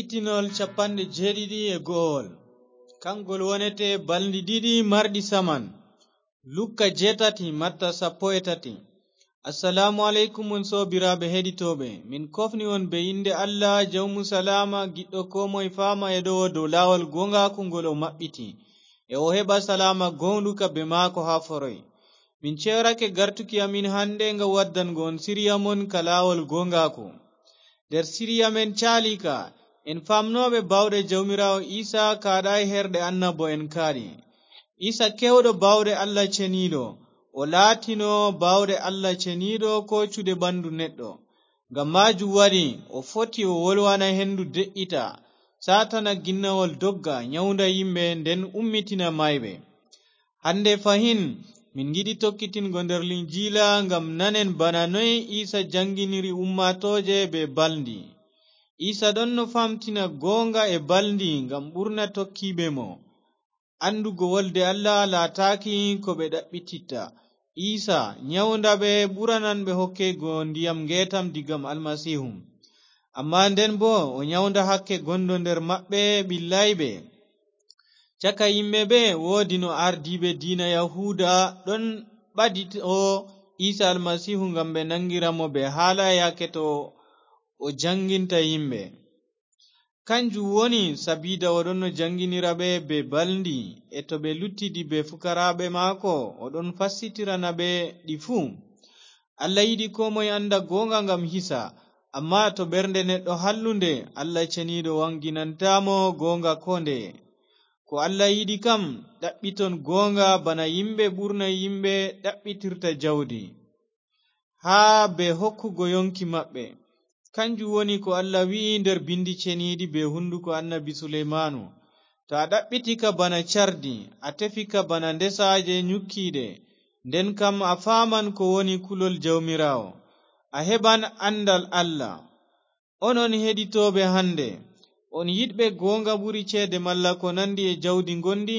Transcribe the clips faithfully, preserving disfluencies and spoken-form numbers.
Kitinol capanɗe jeeɗiɗi e go'owol. Kangol wonete balndi ɗiɗi marɗi saman. Lukka jeetati, Matta sappo e tati. Assalaamu aleykum, on soobiraaɓe heɗitooɓe. Min kofni on be innde Allah, Jawmu Salaama, giɗɗo koo moye faama e ɗowo dow laawol gooŋgaaku ngol o maɓɓiti. E o heɓa salaama gooŋɗuka be maako haa foroy. Min ceerake gartuki amin hande ngam waddango on siriya mon ka laawol gooŋgaaku. Nder siriya men caaliika, en faamnooɓe baawɗe Jawmiraawo Iisa kaaɗaay herɗe annabo'en kaaɗi. Iisa keewɗo baawɗe Allah Ceniiɗo, o laatino baawɗe Allah Ceniiɗo koocuɗe ɓandu neɗɗo. Ngam maajum waɗi o foti o wolwana hendu de'ita, saatana ginnawol dogga, nyawnda yimɓe, nden ummitina maayɓe. Hande fahin, min ngiɗi tokkitingo nder Linjiila ngam nanen bana noy Iisa janginiri ummaatooje be balndi. Iisa ɗonno famtina gooŋga e balndi ngam ɓurna tokkiiɓe mo. Andugo wolde Allah laataaki ko ɓe ɗaɓɓititta. Iisa nyawnda ɓe ɓuranan ɓe hokkego ndiyam ngeetam digam Almasiihu. Ammaa nden boo o nyawnda hakke gondo nder maɓɓe ɓillayɓe. Caka yimɓe ɓe woodino ardiiɓe diina Yahuuda ɗon ɓadito Iisa Almasiihu ngam ɓe nangira mo be haala yaake to o janginta yimɓe. Kanjum woni sabiida o ɗonno janginira ɓe be balndi, e to ɓe luttidi be fukaraaɓe maako, o ɗon fassitirana ɓe ɗi fuu. Allah yiɗi koo moye anda gooŋga ngam hisa, ammaa to ɓernde neɗɗo hallunde, Allah Ceniiɗo waŋginantaa mo gooŋga koo ndeye. Ko Allah yiɗi kam, ɗaɓɓiton gooŋga bana yimɓe ɓurna yimɓe ɗaɓɓitirta jawdi, haa be hokkugo yonki maɓɓe. Kanjum woni ko Allah wi'i nder bindi ceniiɗi be hunduko annabi Suleymaanu. To a ɗaɓɓiti ka bana cardi, a tefi ka bana ndesaaje nyukkiiɗe, nden kam a faaman ko woni kulol Jawmiraawo. A heɓan andal Allah. Onon heɗitooɓe hande, on yiɗɓe gooŋga ɓuri ceede malla ko nandi e jawdi ngondi?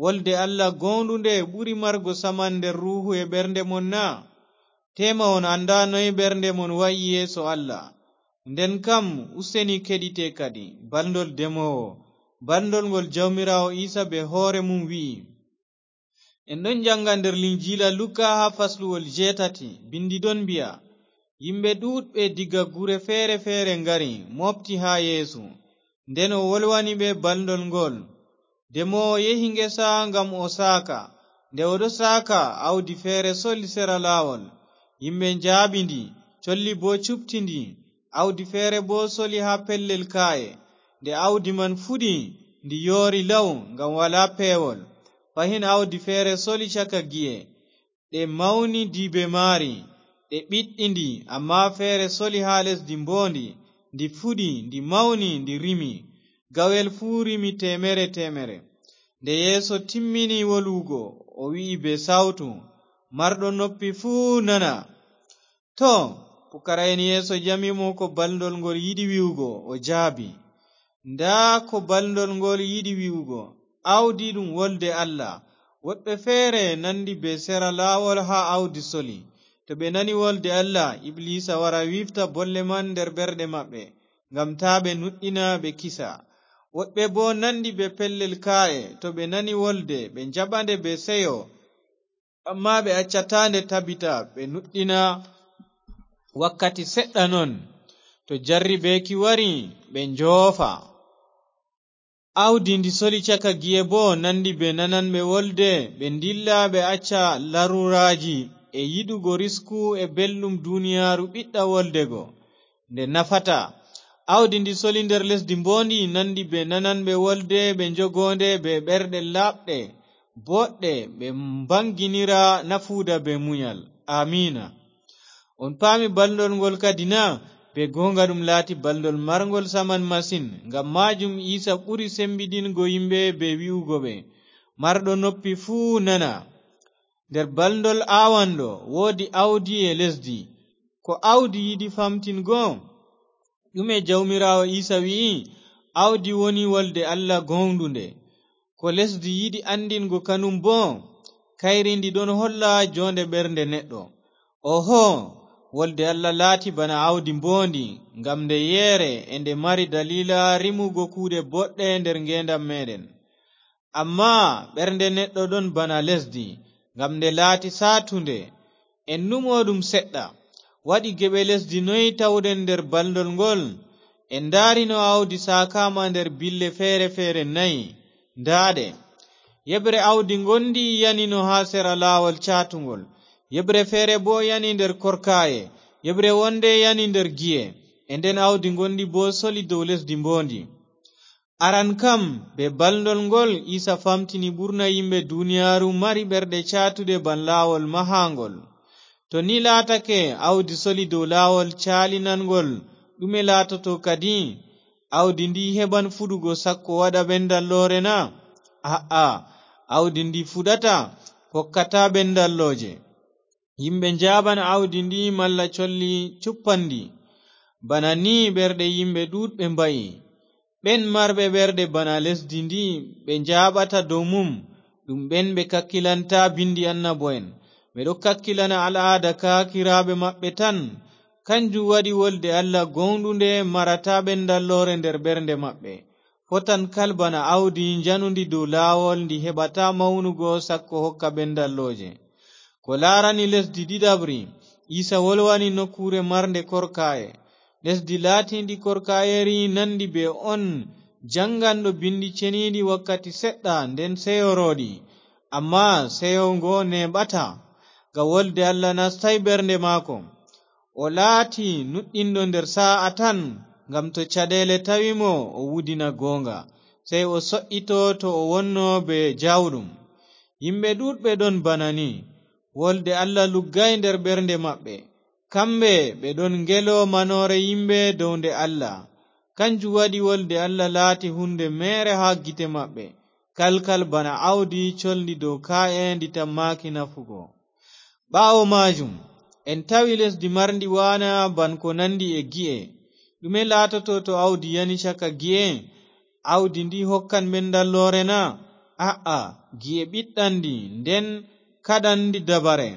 Wolde Allah gooŋɗunde ɓuri margo saman nder ruuhu e ɓernde mon na? Teema on anda noy ɓernde mon wa'i yeeso Allah. Nden kam, useni keɗite kadi, balndol demoowo, balndol ngol Jawmiraawo Iisa be hoore mum wi'i. En ɗon janga nder Linjiila Luka haa fasluwol jeetati, bindi ɗon mbi'a, yimɓe ɗuuɗɓe diga gure feere-feere ngari, mooɓti haa Yeesu. Nden o wolwani ɓe balndol ngol. Demoowo yehi ngesa ngam o saaka. Nde o ɗo saaka, awdi feere soli sera laawol. Yimɓe njaaɓi ndi, colli boo cuɓti ndi. Awdi feere boo soli haa pellel kaaye. Nde awdi man fuɗi, ndi yoori law, ngam walaa peewol. Fahin awdi feere soli caka gi'e. Ɗe mawni diibe maari, ɗe ɓiɗɗi ndi, ammaa feere soli haa lesdi mboondi, ndi fuɗi, ndi mawni, ndi rimi. Gawel fuu rimi teemere teemere. Nde Yeesu timmini wolwugo, o wi'i bee sawtu, marɗo noppi fuu nana. Too, pukara'en Yeesu ƴami mo ko balndol ngol yiɗi wi'ugo, o jaabi, ndaa ko balndol ngol yiɗi wi'ugo, awdi ɗum wolde Allah. Woɗɓe feere nandi bee sera laawol haa awdi soli. To ɓe nani wolde Allah, Ibliisa wara wiifta bolle man nder ɓerɗe maɓɓe, ngam taa ɓe nuɗɗina ɓe kisa. Woɗɓe boo nandi bee pellel kaa'e, to ɓe nani wolde, ɓe njaɓa nde bee seyo. Ammaa ɓe accataa nde tabita, ɓe nuɗɗina wakkati seɗɗa non. To jarribeeki wari, ɓe njoofa. Awdi ndi soli caka gi'e boo nandi bee nananɓe wolde, ɓe ndilla, ɓe acca laruraaji e yiɗugo risku e belɗum duniyaaru ɓiɗɗa wolde go, nde nafataa. Awdi ndi soli nder lesdi mboondi nandi bee nananɓe wolde, ɓe njogo nde bee ɓerɗe laaɓɗe, booɗɗe, ɓe mbaŋginira nafuuda bee munyal. Aamiina. On paami balndol ngol kadi na? Bee gooŋga ɗum laati balndol marŋgol saman masin. Ngam maajum Iisa ɓuri sembiɗingo yimɓe bee wi'ugo ɓe, marɗo noppi fuu nana. Nder balndol aawanɗo woodi awdi e lesdi. Ko awdi yiɗi famtingo? Ɗume Jawmiraawo Iisa wi'i? Awdi woni wolde Allah gooŋɗunde. Ko lesdi yiɗi anndingo kanum boo? Kayri ndi ɗon holla joonde ɓernde neɗɗo. Oho, Wolde Alla laati bana aawdi mboondi, ngam nde yeere e nde mari daliila rimugo kuuɗe boɗɗe nder ngeendam meeɗen. Ammaa ɓernde neɗɗo ɗon bana lesdi, ngam nde laati saatunde. En numo ɗum seɗɗa. Waɗi geɓe lesdi noy tawɗen nder balndol ngol? En ndaarino aawdi saakaama nder bille feere-feere nayi. Ndaaɗe. Yeɓre aawdi ngondi yanino haa sera laawol caatungol. Yeɓre feere boo yani nder korkaaye. Yeɓre wonde yani nder gi'e. E nden aawdi ngondi boo soli dow lesdi mboondi. Aran kam, bee balndol ngol, Iisa famtini ɓurna yimɓe duniyaaru mari ɓerɗe caatuɗe ban laawol mahaangol. To ni laatake, aawdi soli dow laawol caalinangol, ɗume laatoto kadi? Aawdi ndi heɓan fuɗugo sakko waɗa ɓendalloore na? A'a, aawdi ndi fuɗata, hokkataa ɓendallooje. Yimɓe njaaɓan aawdi ndi malla colli cuppan ndi. Bana ni ɓerɗe yimɓe ɗuuɗɓe mba'i. Ɓen marɓe ɓerɗe bana lesdi ndi ɓe njaaɓata dow mum, ɗum ɓen ɓe kakkilanta bindi annabo'en. Ɓe ɗo kakkilana al'aada kaakiraaɓe maɓɓe tan. Kanjum waɗi wolde Allah gooŋɗunde marataa ɓendalloore nder ɓernde maɓɓe. Fotan kal bana aawdi njanundi dow laawol ndi heɓataa mawnugo sakko hokka ɓendallooje. Ko laarani lesdi ɗiɗaɓri, Iisa wolwani nokkuure marnde korkaaye. Lesdi laatiindi korkaayeeri nandi bee on jaŋganɗo Binndi Ceniiɗi wakkati seɗɗa, nden seyo rooɗi. Ammaa seyo ngo neeɓataa, ngam wolde Allah nastaay ɓernde maako. O laati nuɗɗinɗo nder saa'a tan, ngam to caɗeele tawi mo, o wudina gooŋga, sey o so'ito to o wonno bee jaawɗum. Yimɓe ɗuuɗɓe ɗon bana ni. Wolde Allah luggaay nder ɓernde maɓɓe. Kamɓe ɓe ɗon ngelo manoore yimɓe dow nde Allah. Kanjum waɗi wolde Allah laati huunde meere haa gite maɓɓe, kalkal bana aawdi colndi dow kaa'e ndi tammaaki nafugo. Ɓaawo maajum, en tawi lesdi marndi waana ban ko nandi e gi'e. Ɗume laatoto to aawdi yani caka gi'e? Aawdi ndi hokkan ɓendalloore na? A'a, gi'e ɓiɗɗan ndi, nden kaɗan ndi dabare.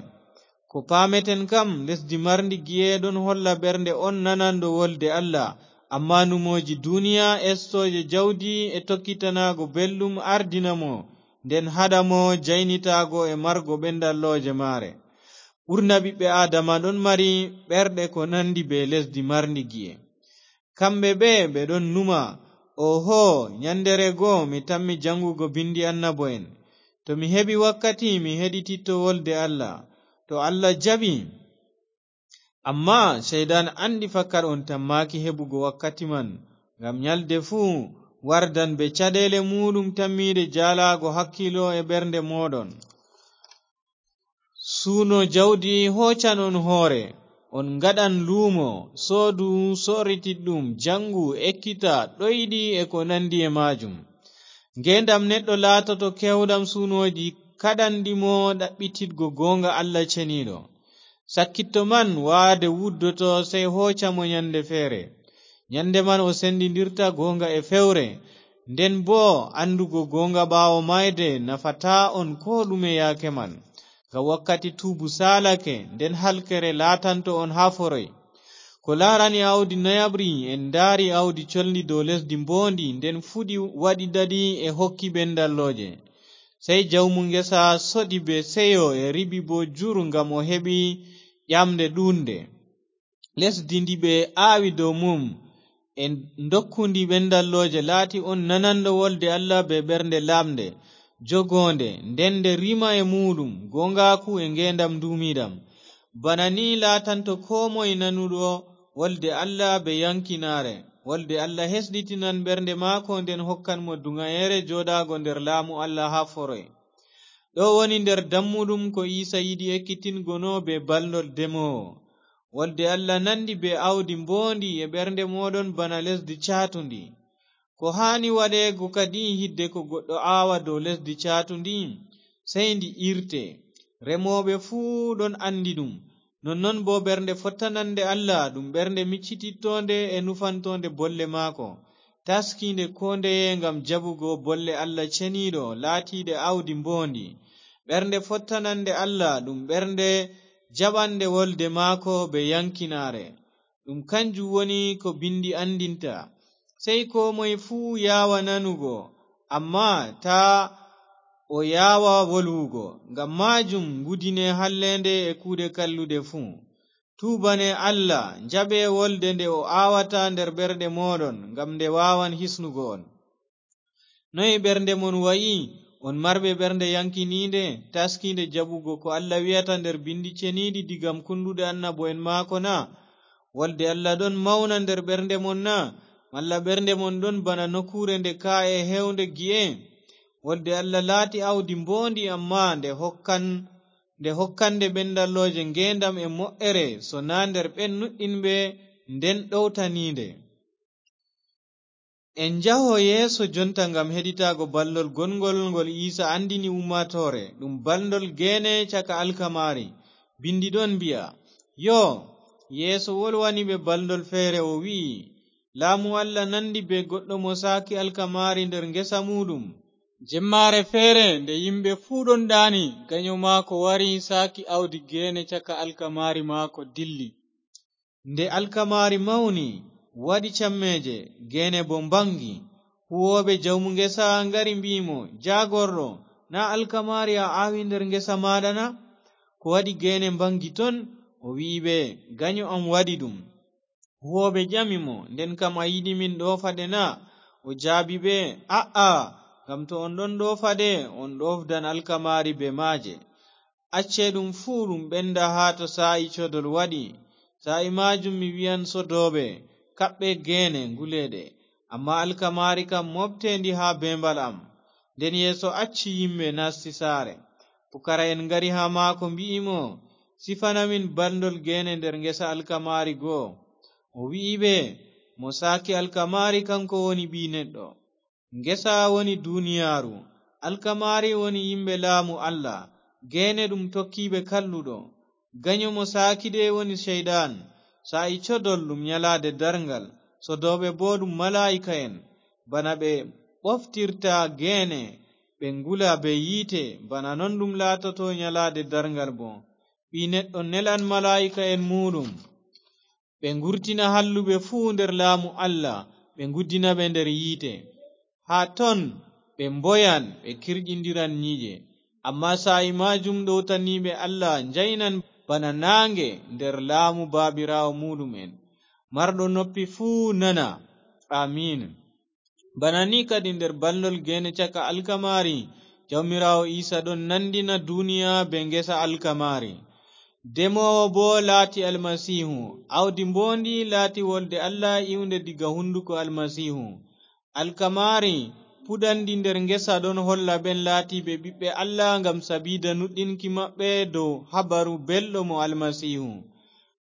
Ko paameten kam, lesdi marndi gi'e ɗon holla ɓernde on nananɗo wolde Allah, ammaa numooji duniya, estooje jawdi e tokkitanaago belɗum ardina mo, nden haɗa mo jaynitaago e margo ɓendallooje maare. Ɓurna ɓiɓɓe Aadama ɗon mari ɓerɗe ko nandi bee lesdi marndi gi'e. Kamɓe ɓe, ɓe ɗon numa, "Oho, nyanndeere go mi tammi jaŋgugo binndi annabo'en. To mi heɓi wakkati, mi heɗititto wolde Allah." To Allah jaɓi. Ammaa Ceyɗan anndi fakat on tammaaki heɓugo wakkati man, ngam nyalde fuu wardan bee caɗeele muuɗum tammiiɗe jaalaago hakkiilo e ɓernde mooɗon. Suuno jawdi hoocan on hoore, on ngaɗan luumo, soodu sooritiɗɗum, jaŋgu, ekkita, ɗoyɗi e ko nandi e maajum. Ngeendam neɗɗo laatoto keewɗam suunooji kaɗanɗi mo ɗaɓɓititgo gooŋga Allah ceniiɗo. Sakkitto man waade wuddoto, sey hooca mo nyande feere. Nyande man o sendindirta gooŋga e fewre. Nden boo anndugo gooŋga ɓaawo maayde nafataa on koo ɗume yaake man. Ngam wakkati tuubu saalake, nden halkere laatanto on haa foroy. Ko laarani aawdi nayaɓri, en ndaari aawdi colndi dow lesdi mboondi, nden fuɗi waɗi ɗaɗi e hokki ɓendallooje. Sey jawmu ngesa soɗi bee seyo e riɓi boo jur ngam o heɓi ƴamnde ɗuuɗnde. Lesdi ndi ɓe aawi dow mum, e ndokkundi ɓendallooje, laati on nananɗo wolde Allah bee ɓernde laaɓnde, jogoonde, nden nde rima e muuɗum, gooŋgaaku e ngeendam nduumiiɗam. Bana ni laatanto koo moy nanuɗo wolde Allah bee yaŋkinaare. Wolde Allah hesɗitinan ɓernde maako, nden hokkan mo duŋayeere jooɗaago nder laamu Allah haa foroy. Ɗo woni nder dammuɗum ko Iisa yiɗi ekkitingo no bee balndol demoowo. Wolde Allah nandi bee aawdi mboondi e ɓernde mooɗon bana lesdi caatundi. Ko haani waɗeego kadi hidde ko goɗɗo aawa dow lesdi caatundi? Sey ndi irte. Remooɓe fuu ɗon andi ɗum. Nonnon boo ɓernde fottanande Allah ɗum ɓernde miccitittoonde e nufantoonde bolle maako, taskiinde koo ndeye ngam jaɓugo bolle Allah ceniiɗo laatiiɗe aawdi mboondi. Ɓernde fottanande Allah ɗum ɓernde jaɓanɗe wolde maako be yankinaare. Ɗum kanjum woni ko bindi anndinta. Sey koo moye fuu yaawa nanugo, ammaa taa o yaawa wolwugo. Ngam maajum ngudine halleende e kuuɗe kalluɗe fuu. Tuubane Allah, njaɓe wolde nde o aawata nder ɓerɗe mooɗon, ngam nde waawan hisnugo on. Noye ɓernde mon wa'i? On marɓe ɓernde yankiniinde, taskiinde jaɓugo ko Allah wi'ata nder bindi ceniiɗi digam kunduɗe annabo'en maako na? Wolde Allah ɗon mawna nder ɓernde mon na? Malla ɓernde mon ɗon bana nokkuure nde ka'e heewnde gi'e? Wolde Allah laati awdi mboondi, ammaa nde hokkan, nde hokkande ɓendallooje ngeendam e mo'ere, so naa nder ɓen nuɗɗinɓe nden ɗowtaniinde. En njaho yeeso jonta ngam heɗitaago balndol gongol ngol Iisa anndini ummaatoore, ɗum balndol geene caka alkamaari. Bindi ɗon mbi'a, yoo, Yeesu wolwani ɓe balndol feere, o wi'i, "Laamu Allah nandi bee goɗɗo mo saaki alkamaari nder ngesa muuɗum." Jemmaare feere, nde yimɓe fuu ɗon ɗaani, ganyo maako wari, saaki awdi geene caka alkamaari maako, dilli. Nde alkamaari mawni, waɗi cammeeje, geene boo mbaŋgi. Huuwooɓe jawmu ngesa ngari, mbi'i mo, "Jaagorɗo, naa alkamaari a aawi nder ngesa maaɗa na? Ko waɗi geene mbaŋgi ton?" O wi'i ɓe, "Ganyo am waɗi ɗum." Huuwooɓe ƴami mo, "Nden kam a yiɗi min ɗoofa ɗe na?" O jaabi ɓe, "A'a, ngam to on ɗon ɗoofa ɗe, on ɗoofdan alkamaari bee maaje. Acce ɗum fuu ɗum ɓenda haa to saa'i codol waɗi. Saa'i maajum mi wi'an sodooɓe, 'Kaɓɓe geene, ngule ɗe. Ammaa alkamaari kam, mooɓte ndi haa beembal am.'" Nden Yeesu acci yimɓe, nasti saare. Pukara'en ngari haa maako, mbi'i mo, "Sifana min balndol geene nder ngesa alkamaari go." O wi'i ɓe, "Mo saaki alkamaari, kanko woni Ɓii Neɗɗo. Ngesa woni duniyaaru, alkamaari woni yimɓe laamu Allah, geene ɗum tokkiiɓe Kalluɗo. Ganyo mo saaki ɗe woni Ceyɗan. Saa'i codol ɗum nyalaade darŋgal, sodooɓe boo ɗum malaa'ika'en. Bana ɓe ɓoftirta geene, ɓe ngula bee yiite, bana non ɗum laatoto nyalaade darŋgal boo. Ɓii Neɗɗo nelan malaa'ika'en muuɗum. Ɓe ngurtina halluɓe fuu nder laamu Allah, ɓe nguddina ɓe nder yiite. Haa ton ɓe mboyan, ɓe kirƴindiran nyiiƴe. Ammaa saa'i maajum ɗowtaniiɓe Allah njaynan bana naaŋge nder laamu Baabiraawo muuɗum'en. Marɗo noppi fuu nana. Amiin. Bana ni kadi nder balndol geene caka alkamaari, Jawmiraawo Iisa ɗon nandina duniya bee ngesa alkamaari. Demoowo boo laati Almasiihu, awdi mboondi laati wolde Allah iwnde diga hunduko Almasiihu. Alkamaari puɗandi nder ngesa ɗon holla ɓen laatiiɓe ɓiɓɓe Allah ngam sabiida nuɗɗinki maɓɓe dow habaru belɗo mo Almasiihu.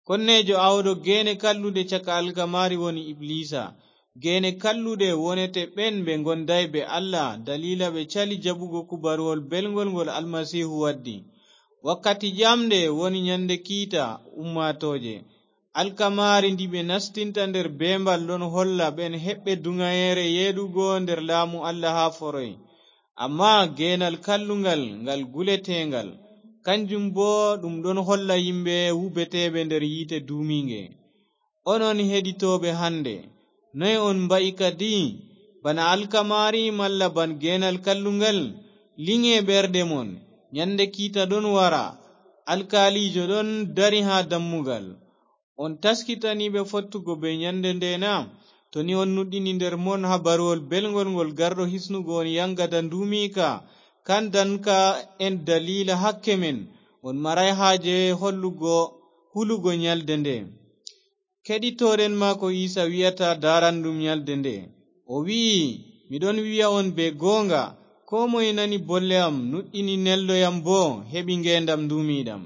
Konneejo aawɗo geene kalluɗe caka alkamaari woni Ibliisa. Geene kalluɗe wonete ɓen ɓe ngondaay bee Allah, daliila ɓe cali jaɓugo kubaruwol belŋgol ngol Almasiihu waddi. Wakkati ƴamɗe woni nyande kiita ummaatooje. Alkamaari ndi ɓe nastinta nder beembal ɗon holla ɓen heɓɓe duŋayeere yeeɗugo nder laamu Allah haa foroy. Ammaa geenal kalluŋgal ngal guleteeŋgal, kanjum boo ɗum ɗon holla yimɓe wubeteeɓe nder yiite duumiiŋge. Onon heɗitooɓe hande, noy on mba'i kadi? Bana alkamaari malla ban geenal kalluŋgal? Liŋe ɓerɗe mon, nyande kiita ɗon wara, alkaaliijo ɗon dari haa dammugal. On taskitani ɓe fottugo bee nyande nde na? To ni on nuɗɗini nder mon habaruwol belŋgol ngol garɗo hisnugo on yaŋgada nduumiika, kandanka en daliila hakke men, on maray haaje hollugo hulugo nyalde nde. Keɗitooɗen maako Iisa wi'ata daaranɗum nyalde nde. O wi'i, "Mi ɗon wi'a on bee gooŋga, koo moye nani bolle am, nuɗɗini nelɗo yam boo, heɓi ngeendam nduumiiɗam.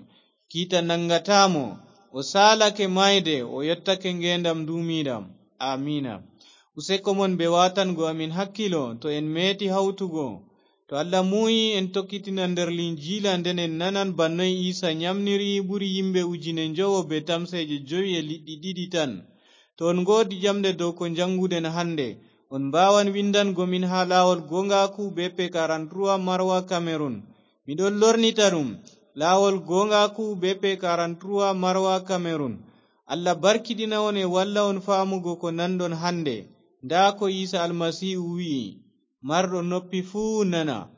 Kiita naŋgataa mo, o saalake maayde, o yottake ngeendam nduumiiɗam." Aamiina. Useko mon bee waatango amin hakkiilo, to en meeti hawtugo. To Allah muuyi, en tokkitina nder Linjiila, nden en nanan bana noy Iisa nyamniri ɓuri yimɓe ujine njowo bee tamseeje jowi e liɗɗi ɗiɗi tan. To on ngoodi jamɗe dow ko njaŋnguɗen hande, on mbaawan winndango min haa laawol gooŋgaaku, B P quarante-trois, Maroua, Cameroun. Mi ɗon lornita ɗum. Laawol Goongaaku, B P quarante-trois, Marwa, Cameroun. Allah barkidina on e walla on faamugo ko nanɗon hannde. Ndaa ko Iisa Almasiihu wi'i, "Marɗo noppi fuu nana."